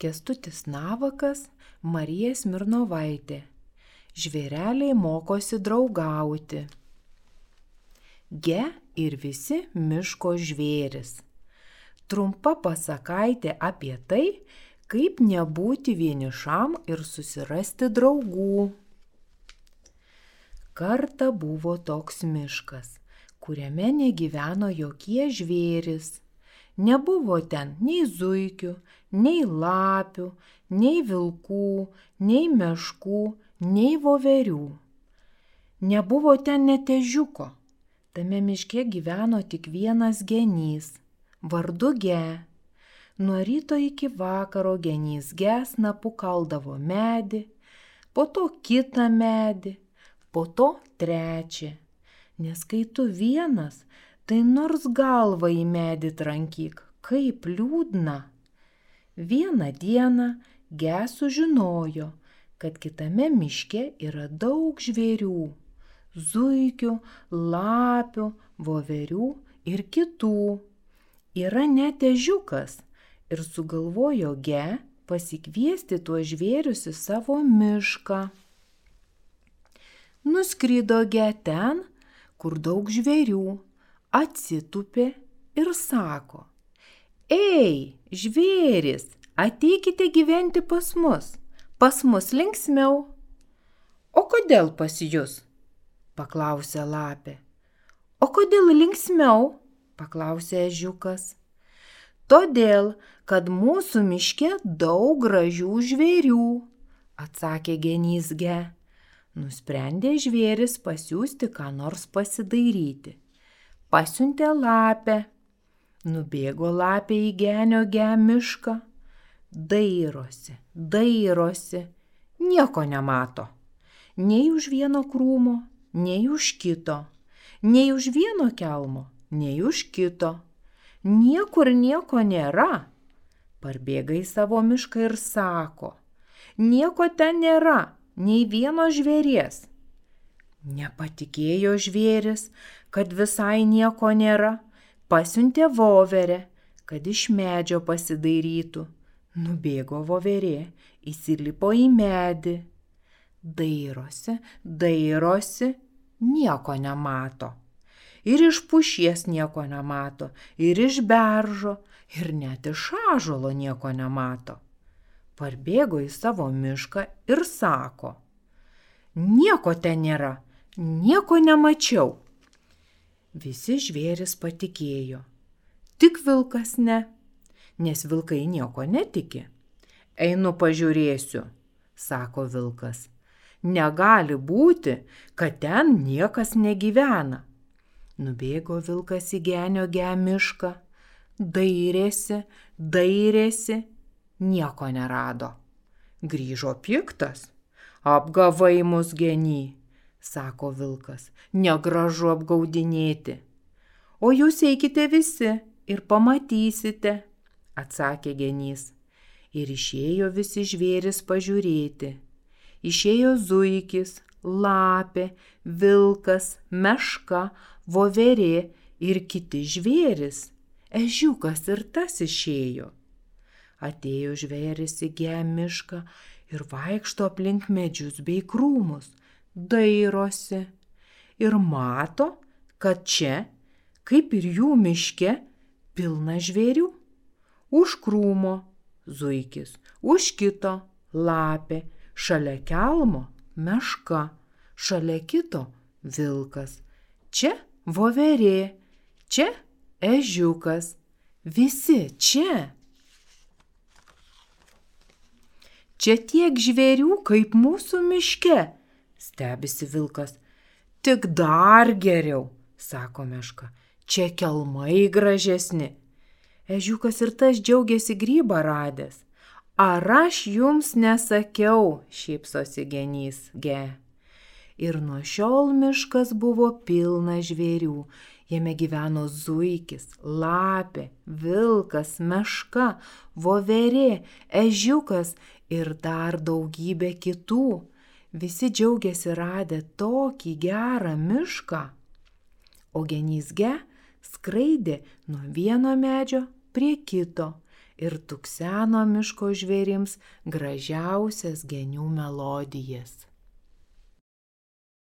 Kęstutis Navakas, Marija Smirnovaitė. Žvėreliai mokosi draugauti. Ge ir visi miško žvėris. Trumpa pasakaitė apie tai, kaip nebūti vienišam ir susirasti draugų. Kartą buvo toks miškas, kuriame negyveno jokie žvėris. Nebuvo ten nei zuikių, nei lapių, nei vilkų, nei meškų, nei voverių. Nebuvo ten net ežiuko. Tame miške gyveno tik vienas genys, vardu Ge. Nuo ryto iki vakaro genys Ge snapu kaldavo medį, po to kitą medį, po to trečią. Nes kai tu vienas, tai nors galvą į medį trankyk, kaip liūdna. Vieną dieną Ge sužinojo, kad kitame miške yra daug žvėrių, zuikių, lapių, voverių ir kitų. Yra net ežiukas ir sugalvojo Ge pasikviesti tuos žvėrius į savo mišką. Nuskrido Ge ten, kur daug žvėrių, atsitūpė ir sako: Ei, žvėris, ateikite gyventi pas mus linksmiau. O kodėl pas jus? Paklausė lapė. O kodėl linksmiau? Paklausė ežiukas. Todėl, kad mūsų miške daug gražių žvėrių, atsakė genys Ge. Nusprendė žvėris pasiųsti ką nors pasidairyti. Pasiuntė lapę. Nubėgo lapė į genio Ge mišką. Dairosi, nieko nemato. Nei už vieno krūmo, nei už kito. Nei už vieno kelmo, nei už kito. Niekur nieko nėra. Parbėga į savo mišką ir sako: Nieko ten nėra, nei vieno žvėries. Nepatikėjo žvėris, kad visai nieko nėra. Pasiuntė voverę, kad iš medžio pasidairytų. Nubėgo voverė, įsilipo į medį. Dairosi, nieko nemato. Ir iš pušies nieko nemato, ir iš beržo, ir net iš ąžuolo nieko nemato. Parbėgo į savo mišką ir sako: Nieko ten nėra, nieko nemačiau. Visi žvėris patikėjo, tik vilkas ne, nes vilkai nieko netiki. Einu pažiūrėsiu, sako vilkas. Negali būti, kad ten niekas negyvena. Nubėgo vilkas į genio Ge mišką, dairėsi, nieko nerado. Grįžo piktas. Apgavai mus, geny, sako vilkas, negražu apgaudinėti. O jūs eikite visi ir pamatysite, atsakė genys. Ir išėjo visi žvėris pažiūrėti. Išėjo zuikis, lapė, vilkas, meška, voverė ir kiti žvėris. Ežiukas ir tas išėjo. Atėjo žvėris į Ge mišką ir vaikšto aplink medžius bei krūmus, dairosi ir mato, kad čia, kaip ir jų miške, pilna žvėrių. Už krūmo zuikis, už kito lapė, šalia kelmo meška, šalia kito vilkas. Čia voverė, čia ežiukas, visi čia. Čia tiek žvėrių, kaip mūsų miške, stebisi vilkas. Tik dar geriau, sako meška, čia kelmai gražesni. Ežiukas ir tas džiaugiasi grybą radęs. Ar aš jums nesakiau, šypsosi genys Ge. Ir nuo šiol miškas buvo pilnas žvėrių. Jame gyveno zuikis, lapė, vilkas, meška, voverė, ežiukas ir dar daugybė kitų. Visi džiaugiasi radę tokį gerą mišką. O genys Ge skraidė nuo vieno medžio prie kito ir tukseno miško žvėrims gražiausias genių melodijas.